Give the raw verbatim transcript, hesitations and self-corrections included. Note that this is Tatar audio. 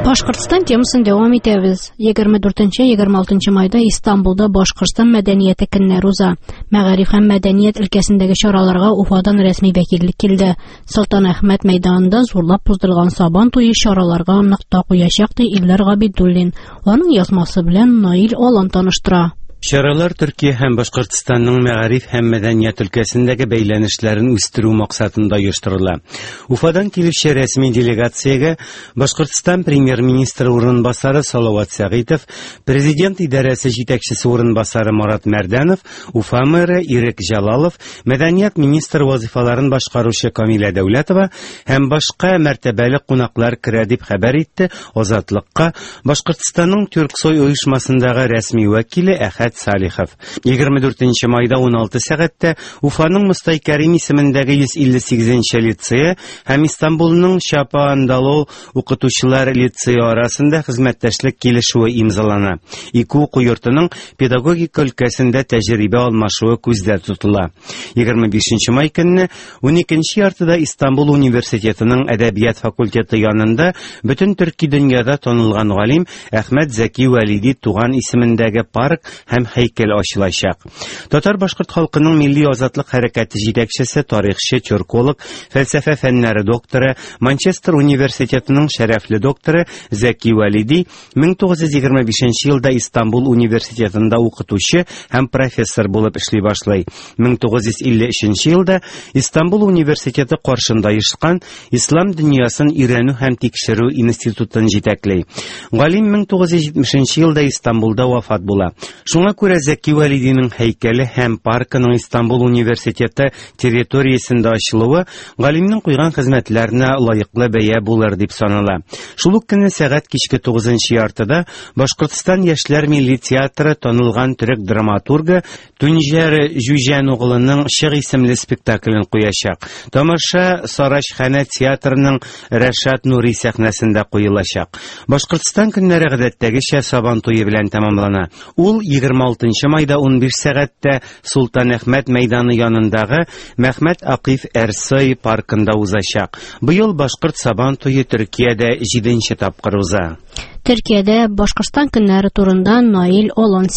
Башкортстан темасын дәвам итәбез. егерме дүртенче, егерме алтынчы майда Истанбулда Башкортстан мәдәнияте көннәре уза. Мәгариф һәм мәдәният өлкәсендәге чараларга Уфадан рәсми вәкиллек килде. Солтан Әхмәт мәйданында зурлап уздырылган Сабан туе чараларга нокта куячак, ди Илдар Габидуллин. Аның язмасы белән Наил Алан таныштыра. Чаралар Төркия һәм Башкортстанның мәгариф һәм мәдәният өлкәсендәге бәйләнешләрен үстерү максатында оештырыла. Уфадан килүче рәсми делегациягә Башкортстан премьер-министры урынбасары Салават Сәгыйтов, президент идарәсе җитәкчесе урынбасары Марат Мәрдәнов, Уфа мэры Ирек Җалалов, мәдәният министры вазифаларын башкаручы Камилә Дәүләтова һәм башка мәртәбәле кунаклар керә дип хәбәр итте Азатлыкка Башкортстанның Тюрксой оешмасындагы рәсми вәкиле Әхәт Салихов. егерме дүртенче майда ун алты сәгатьтә Уфаның Мостай Кәрим исемендәге йөз илле сигезенче лицее һәм Истанбулның Чапаандалу укытучылар лицее арасында хезмәттәшлек килешүе имзалана. Ике уку йортының педагогика өлкәсендә тәҗрибә алмашуы күздә тотыла. егерме бишенче май көнне ун икенче яртыда Истанбул университетының әдәбият факультеты янында бөтен төрки дөньяда танылган галим Әхмәт Зәки Вәлиди туган исемендәге парк һәм һәйкәл ачылачак. Татар-башкорт халкының милли азатлык хәрәкәте җитәкчесе, тарихчы, тюрколог, фәлсәфә фәннәре докторы, Манчестер университетының шәрәфле докторы Зәки Вәлиди мең тугыз йөз егерме бишенче елда Истанбул университетында укытучы һәм профессор булып эшли башлый. мең тугыз йөз илле өченче елда Истанбул университеты каршында оешкан Ислам дөньясын өйрәнү һәм тикшерү институтын җитәкли. Галим мең тугыз йөз җитмешенче елда Истанбулда вафат була. Шуңа күрә Зәки Вәлидинең һәйкәле һәм паркының Истанбул университеты территориясендә ачылуы галимнең куйган хезмәтләренә лаеклы бәя булыр дип санала. Шул ук көнне сәгать кичке тугызынчы яртыда Башкортстан яшьләр милли театры танылган төрек драматургы Түнҗәр Җүҗәноглының Чык исемле спектаклен куячак. Тамаша Сарачханә театрының Рәшат Нури сәхнәсендә куелачак. Башкортстан көннәре гадәттәгечә Сабан туе белән тәмамлана. Ул егерме алтынчы майда ун биш сәгатьтә Султан Әхмәт мәйданы янындагы Мәхмәт Акиф Эрсой паркында узачак. Быел Башкорт Сабан туе Төркиядә җиденче тапкыр уза. Төркиядә Башкортстан көннәре турында Наил Олан